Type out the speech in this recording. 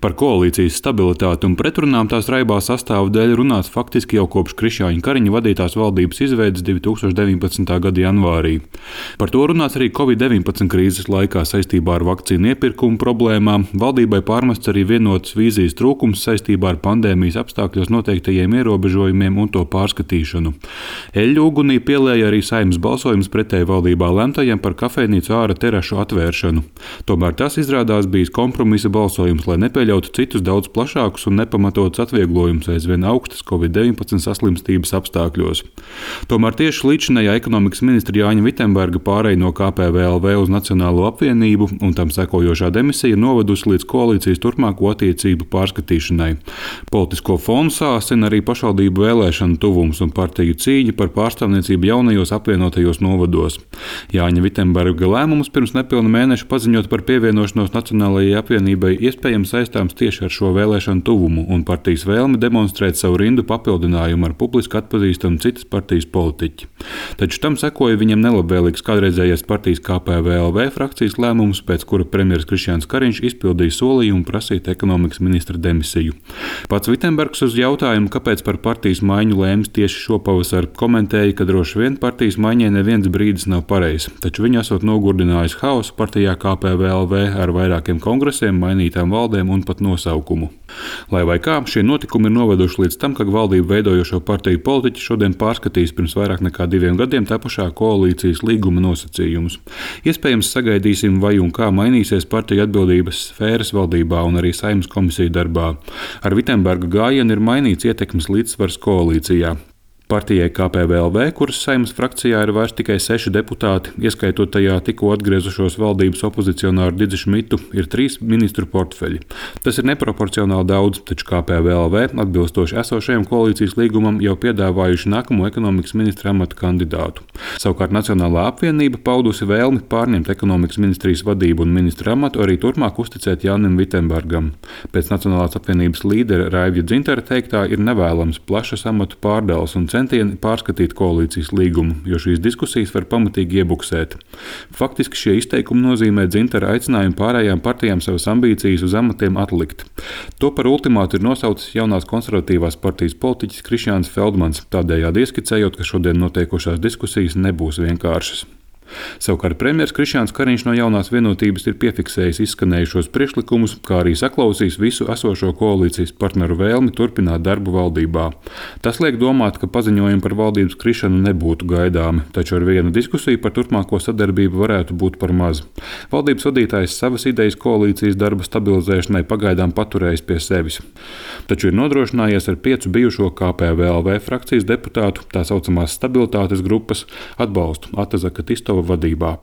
Par koalīcijas stabilitāti un pretrunām tās raibā sastāvu dēļ runāts faktiski jau kopš Krišjāņa Kariņa vadītās valdības izveides 2019. gada janvārī. Par to runāts arī Covid-19 krīzes laikā saistībā ar vakcīnu iepirkumu problēmām. Valdībai pārmests arī vienotas vīzijas trūkums saistībā ar pandēmijas apstākļos noteiktajiem ierobežojumiem un to pārskatīšanu. Eļļu ugunī pielēja arī Saeimas balsojums pretēji valdībā lemtajam par kafejnīcu āra terašu atvēršanu. Tomēr tas izrādās bijis kompromisa balsojums, lai nepieļautu citus daudz plašākus un nepamatotus atvieglojumus aizvien augstas Covid-19 saslimstības apstākļos. Tomēr tieši līdzinējā ekonomikas ministra Jāņa Vitsenberga pāreja no KPVLV uz Nacionālo apvienību un tam sekojošā demisija novedusi līdz koalīcijas turpmāko attiecību pārskatīšanai. Politisko fonu sāsina arī pašvaldību vēlēšanu tuvums un partiju cīņa par pārstāvniecību jaunajos apvienotajos novados. Jāņa Vitsenberga lēmums pirms nepilna mēneša paziņot par pievienošanos Nacionālajai apvienībai iespējams saistāms tieši ar šo vēlēšanu tuvumu un partijas vēlmi demonstrēt savu rindu papildinājumu ar publiski atpazīstamu citas partijas politiķi. Taču tam sekoja viņam nelabvēlīgs kādreizējais partijas KPVLV frakcijas lēmums, pēc kura premjeras Krišjāns Kariņš izpildīja solījumu prasīt ekonomikas ministra demisiju. Pats Vitsenbergs uz jautājumu, kāpēc par partijas maiņu lēmis tieši šopavasar, komentēja, ka droši vien partijas maiņai neviens brīdis nav pareizs, taču viņa esot nogurdinājis haosu partijā KPVLV ar vairākiem kongresiem, mainītām valdēm un pat nosaukumu. Lai vai kā, šie notikumi ir noveduši līdz tam, ka valdību veidojošo partiju politiķi šodien pārskatīs pirms vairāk nekā 2 gadiem tapušā koalīcijas līguma nosacījumus. Iespējams, sagaidīsim, vai un kā mainīsies partiju atbildības sfēras valdībā un arī Saeimas komisiju darbā. Ar Vitsenberga gājienu ir mainīts ietekmes līdzsvars koalīcijā. Partijai KPVLV, kuras Saeimas frakcijā ir vairs tikai 6 deputāti, ieskaitot tajā tikko atgriezušos valdības opozicionāru Didzi Šmitu, ir 3 ministru portfeļi. Tas ir neproporcionāli daudz, taču KPVLV, atbilstoši esošajam koalīcijas līgumam, jau piedāvājuši nākamo ekonomikas ministra amata kandidātu. Savukārt Nacionālā apvienība paudusi vēlmi pārņemt ekonomikas ministrijas vadību un ministra amatu arī turpmāk uzticēt Jānim Vitsenbergam. Pēc Nacionālās apvienības līdera Raivja Dzintara teiktā ir nevēlams plašas amatu pārdales un centieni pārskatīt koalīcijas līgumu, jo šīs diskusijas var pamatīgi iebuksēt. Faktiski šie izteikumi nozīmē Dzintara aicinājumu pārējām partijām savas ambīcijas uz amatiem atlikt. To par ultimātu ir nosaucis jaunās konservatīvās partijas politiķis Krišjāns Feldmans, tādējādi ieskicējot, ka šodien notiekošās diskusijas nebūs vienkāršas. Savukārt premjeras Krišjāns Kariņš no jaunās vienotības ir piefiksējis izskanējušos priekšlikumus, kā arī saklausījis visu esošo koalīcijas partneru vēlmi turpināt darbu valdībā. Tas liek domāt, ka paziņojumi par valdības krišanu nebūtu gaidāmi, taču ar vienu diskusiju par turpmāko sadarbību varētu būt par maz. Valdības vadītājs savas idejas koalīcijas darba stabilizēšanai pagaidām paturējis pie sevis. Taču ir nodrošinājies ar 5 bijušo KPVLV frakcijas deputātu, tā saucamās stabilitātes grupas, atbalstu Atazaka Tistova vadībā.